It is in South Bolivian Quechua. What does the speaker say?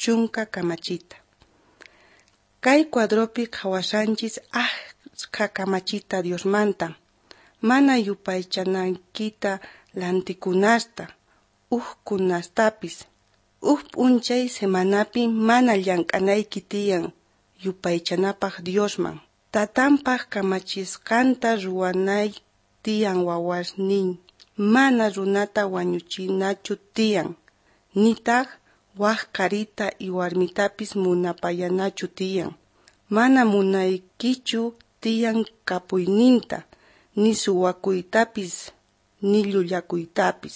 Chunka kamachita. Kay cuadropi qhawashanchis ashkha kamachita Diosmanta. Mana yupaychanaykita lantikunasta, ujkunastapis. Uj p'unchay semanapi mana llank'anayki tiyan yupaychanapaj Diosman. Tatanpaj kamachisqanta ruwanay tiyan wawasnin. Mana runata wañuchinachu tiyan. Nitaj waj qharita y warmitapis munapayanachu tiyan. Mana munaykichu tiyan kapuyninta, ni suwakuytapis, ni llullakuytapis.